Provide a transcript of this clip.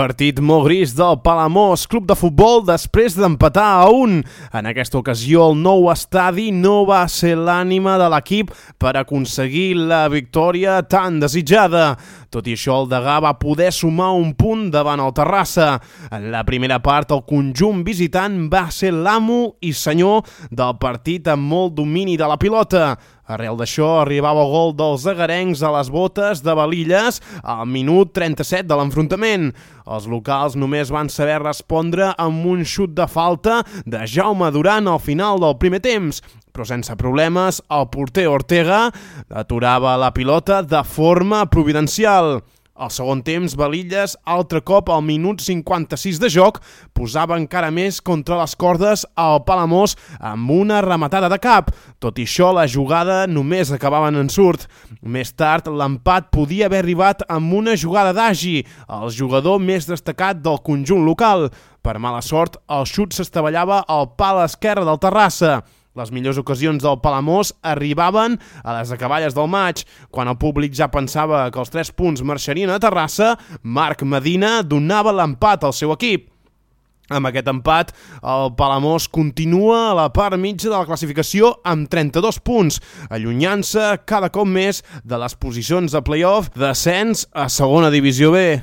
Partit molt gris del Palamós Club de Futbol després d'empatar a 1. En aquesta ocasió el nou estadi no va ser l'ànima de l'equip per aconseguir la victòria tan desitjada. Tot i això, el Degà va poder sumar un punt davant el Terrassa. En la primera part, el conjunt visitant va ser l'amo i senyor del partit amb molt domini de la pilota. Arrel d'això, arribava el gol dels agarencs a les botes de Balilles al minut 37 de l'enfrontament. Els locals només van saber respondre amb un xut de falta de Jaume Duran al final del primer temps, però sense problemes el porter Ortega aturava la pilota de forma providencial. Al segon temps, Balilles, altre cop al minut 56 de joc, posava encara més contra les cordes al Palamós amb una rematada de cap. Tot i això, la jugada només acabava en ensurt. Més tard, l'empat podia haver arribat amb una jugada d'Agi, el jugador més destacat del conjunt local. Per mala sort, el xut s'estavellava al pal esquerre del Terrassa. Les millors ocasions del Palamós arribaven a les acaballes del maig. Quan el públic ja pensava que els 3 punts marxarien a Terrassa, Marc Medina donava l'empat al seu equip. Amb aquest empat, el Palamós continua a la part mitja de la classificació amb 32 punts, allunyant-se cada cop més de les posicions de play-off d'ascens a segona divisió B.